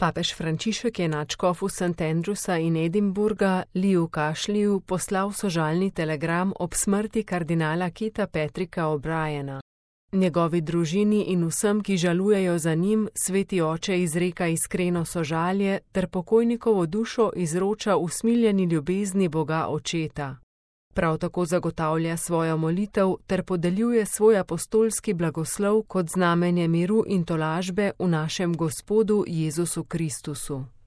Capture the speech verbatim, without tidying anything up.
Papež Frančišek je nadškofu Saint Andrewsa in Edinburgha Leeju Cashleyju poslal sožalni telegram ob smrti kardinala Keta Patricka O'Briena. Njegovi družini in vsem, ki žalujejo za njim, sveti oče izreka iskreno sožalje ter pokojnikovo dušo izroča usmiljeni ljubezni Boga Očeta. Prav tako zagotavlja svojo molitev ter podeljuje svoj apostolski blagoslov kot znamenje miru in tolažbe v našem Gospodu Jezusu Kristusu.